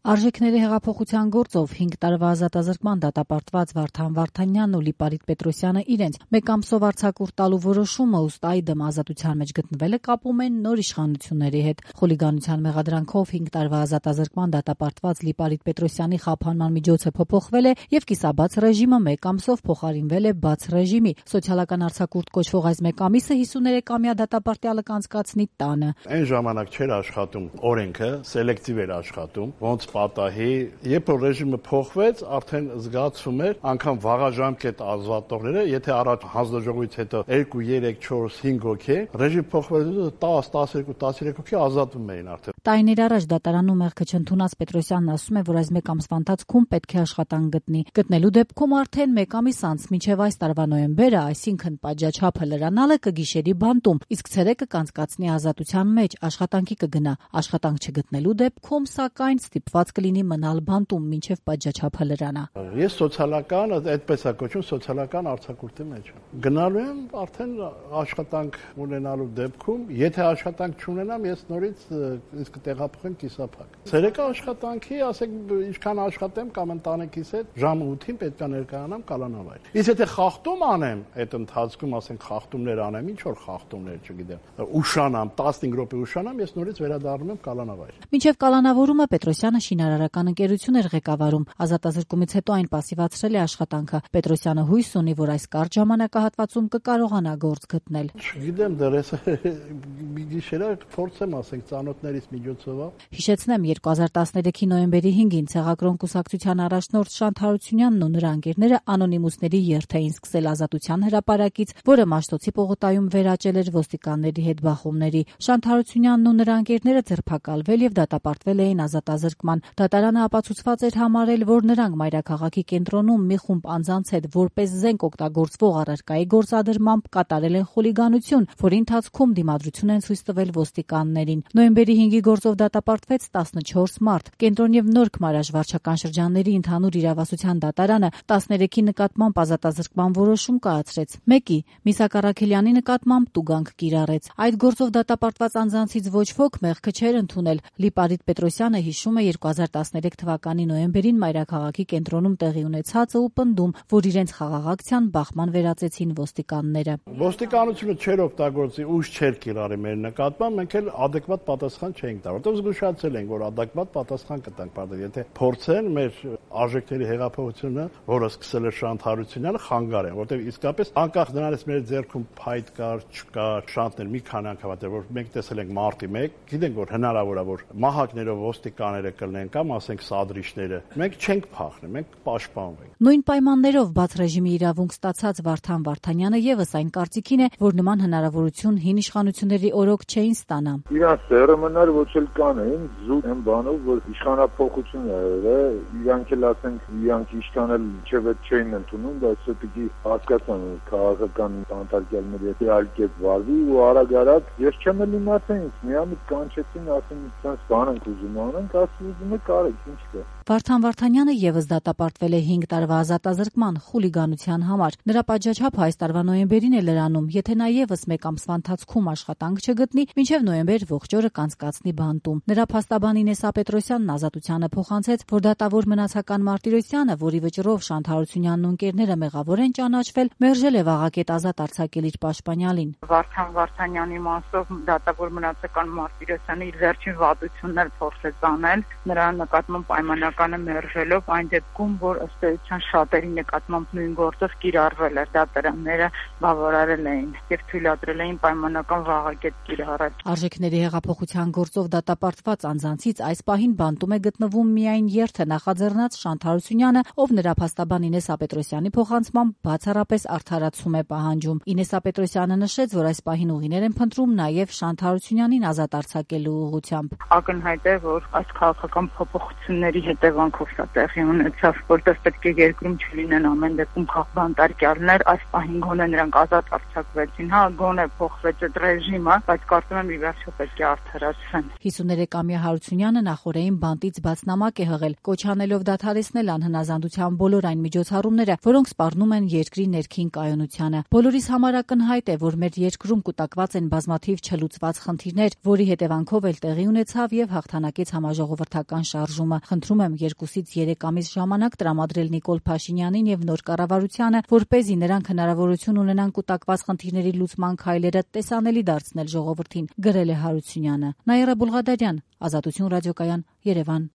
Արժեքների հեղափոխության գործով 5 տարվա ազատազրկման դատապարտված Վարդան Վարդանյանն ու Լիպարիտ Պետրոսյանը իրենց մեկ ամսով արձակուրդ տալու որոշումը ըստ այդմ ազատության մեջ գտնվելը կապում են նոր իշխանությունների հետ։ Խուլիգանության մեղադրանքով 5 տարվա ազատազրկման դատապարտված Լիպարիտ Պետրոսյանի խափանման միջոցը փոփոխվել է եւ կիսաբաց ռեժիմը մեկ ամսով փոխարինվել է բաց ռեժիմի։ Սոցիալական արձակուրդ կոչվող այս մեկ ամիսը 53-ամյա դատապարտյալը կանցկացնի տանը։ Այն ժամանակ չէր աշխատում օրենքը, սելեկտիվ էր աշխատում, ոնց պատահի, երբ որ ռեժիմը փոխվեց, արդեն զգացում էր անգամ վաղաժամկետ ազատողները, եթե առաջ հանձնաժողովից հետո 2, 3, 4, 5 հոգի, ռեժիմ փոխվեց 10, 12, 13 հոգի ազատվում էին արդեն։ Տարիներ առաջ դատարանում մեղքը չընդունած Պետրոսյանն ասում է, որ այս մեկ ամսվա ընթացքում պետք է աշխատանք գտնի։ Գտնելու դեպքում արդեն մեկ ամիս անց մինչև այս տարվա նոյեմբերը, այսինքն պատժաչափը լրանալը կգիշերի բանտում, իսկ ցերեկը կանցկացնի ազատության մեջ, աշխատանքի կգնա։ Աշխատանք չգտնելու դեպքում, սակայն, ստիպված կլինի մնալ բանտում մինչև պատժաչափը լրանա։ Ես սոցիալական, այդպես է կոչվում, սոցիալական արձակուրդի մեջ գնալու եմ արդեն աշխատանք ունենալու դեպքում, եթե աշխատանք չունենամ, ես նորից իսկ տեղափոխեմ կիսափակ։ Ցերեկը աշխատանքի, ասեք, ինչքան աշխատեմ կամ ընտանիքիս հետ, ժամը 8-ին պետք է ներկայանամ կալանավայր։ Իսկ եթե խախտում անեմ, այդ ընթացքում, ասենք, խախտումներ անեմ, ինչ որ խախտումներ, չգիտեմ, ուշանամ, 15 րոպե ուշանամ, ես նորից վերադառնում եմ կալանավայր։ Մինչև կալանավորումը Պետրոսյանը շինարարական ընկերություն էր ղեկավարում։ Ազատազրկումից հետո այն պասիվացրել է աշխատանքը։ Պետրոսյանը հույս ունի, որ այս կարճ ժամանակահատվածում կկարողանա գործ գտնել։ Չգիտեմ, դեռ ես մի գիշերը փորձեմ, ասենք, ծանոթներիս միջոցով։ Հիշեցնեմ, 2013-ի նոյեմբերի 5-ին Ցեղակրոն կուսակցության առաջնորդ Շանթ Հարությունյանն ու նրա ընկերները անոնիմուսների երթ էին սկսել Ազատության հրապարակից, որը Մաշտոցի պողոտայում վերաճել էր ոստիկանների հետ բախումների։ Շանթ Հարությունյանն ու նրա ընկերները ձերբակալվել եւ դատապարտվել էին ազատազրկման։ Դատարանը ապացուցված էր համարել, որ նրանք մայրաքաղաքի կենտրոնում մի խումբ անձանց հետ որպես զենք օգտագործվող առարկայի գործադրմամբ կատարել են խուլիգանություն, որի ընթացքում դիմադրություն են ցույց տվել ոստիկաններին։ Նոյեմբերի 5-ի գործով դատապարտվեց 14 մարդ։ Կենտրոն եւ Նորք մարաշվարչական շրջանների ընդհանուր իրավասության դատարանը 13-ի նկատմամբ ազատազրկման որոշում կայացրեց։ 1-ի Միսակ Առաքելյանի նկատմամբ տուգանք կիրառեց։ Այդ գործով դատապարտված անձանցից ոչ ոք մեղքը չէր ընդունել։ Լիպարիտ Պետրոսյանը հիշում է 2013 թվականի նոյեմբերին մայրաքաղաքի կենտրոնում տեղի ունեցածը ու պնդում, որ իրենց խաղաղ ակցիան բախման վերածեցին ոստիկանները։ Ոստիկանությունը չէր օգտագործի, ուժ չէր կիրառի մեր նկատմամբ, մենք էլ adekvat պատասխան չէինք տա, որտեղ զգուշացել ենք, որ adekvat պատասխան կտանք, բայց եթե փորձեն մեր արժեքների հեղափոխությունը, որը սկսել է Շանթ Հարությունյանը, խանգարեն, որտեղ իսկապես անկախ նրանից մեր ձեռքում փայտ կար, չկար, շանթներ մի քանի անգամ ատեր, որ մենք տեսել ենք մարտի 1, գիտենք, որ հնարավոր է, որ մահակներով ոստիկանները կլինեն կամ ասենք սադրիչները, մենք չենք փախնի, մենք պաշտպանվենք։ Նույն պայմաններով բաց ռեժիմի իրավունք ստացած Վարդան Վարդանյանը եւս այն կարծիքին է, որ նման հնարավորություն հին իշխանությունների օրոք չէին ստանա։ Իրանց սերմնար ոչ էլ կանեին զուտ են բանով, որ իշխանապողություն է, իրանք էլ ասենք, իրանք իշխանել չեւետ չէին ընդունում, բայց պետք է հասկացան քաղաքական անդարգյալների հետ այլ կերպ վարվի ու արագ-արագ ես չեմ էլ իմացել, միամիտ կանչեցին, ասեն, sense բան ենք ուզում անենք, ասում ուզում եք արեք, ինչ կա։ Վարդան Վարդանյանը եւս դատապարտվել է 5 տարվա ազատազրկման խուլիգանության համար։ Նրա պատժաչափը այս տարվա նոյեմբերին է լրանում, եթե նա եւս մեկ ամսվա ընթացքում աշխատանք չգտնի, մինչեւ նոյեմբեր ողջ օրը կանցկացնի բանտում։ Նրա փաստաբան Ինեսա Պետրոսյանն ազատությանը փոխանցեց, որ դատավոր մնացական Մարտիրոսյանը, որի վճռով Շանթ Հարությունյանն ու ընկերները մեղավոր են ճանաչվել, մերժել է վաղակետ ազատ արձակել իր պաշտպանյալին։ Վարդան Վարդանյանի մասով դատավոր մնացական Մարտիրոսյանը իր վերջին վատությունները փորձեց անել, նրա նկատմամբ պայմանական մերժելով այն դեպքում, որ ըստ էության շատերի նկատմամբ նույն գործով կիրառվել էր, դատարանները բավարարել էին եւ թույլատրել էին պայմանական վաղակետ կիրառել։ Արժեքների հեղափոխության գործով դատապարտված անձանցից այս պահին բանտում է գտնվում միայն երթը նախաձեռնած Շանթ Հարությունյանը, ով նրա փաստաբան Ինեսա Պետրոսյանի փոխանցմամբ բացառապես արդարացում է պահանջում։ Ինեսա Պետրոսյանը նշեց, որ այս պահին ուղիներ են փնտրում նաեւ Շանթ Հարությունյանին ազատ արձակելու ուղղությամբ։ Ակնհայտ է, որ այս քաղաքական փոփոխությունների հետևանքով դա տեղի ունեցավ, որտեղ պետք է երկրում չլինեն ամեն դեպքում քաղաքաբանտարկյալներ, այս պահին գոնե նրանք ազատ արձակվեցին, հա, գոնե փոխվեց այդ ռեժիմը, բայց կարծում եմ ի վերջո պետք է արդարացվեն։ 53-ամյա Հարությունյանը նախորդին բանտից բացնամակ է հղել, կոչ անելով դադարեցնել անհնազանդության բոլոր այն միջոցառումները, որոնք սպառնում են երկրի ներքին կայունությանը։ Բոլորիս համար ակնհայտ է, որ մեր երկրում կուտակված են բազմաթիվ չլուծված խնդիրներ, որի հետևանքով էլ տեղի ունեցավ եւ հաղթանակեց համաժողովրդական շարժումը։ Խնդրում եմ 2-ից 3 ամիս ժամանակ տրամադրել Նիկոլ Փաշինյանին եւ նոր կառավարությանը, որպեսզի նրանք հնարավորություն ունենան կուտակված խնդիրների լուծման քայլերը տեսանելի դարձնել ժողովրդին, գրել է Հարությունյանը։ Նաիրա Բուլղադարյան, Ազատություն ռադիոկայան, Երևան։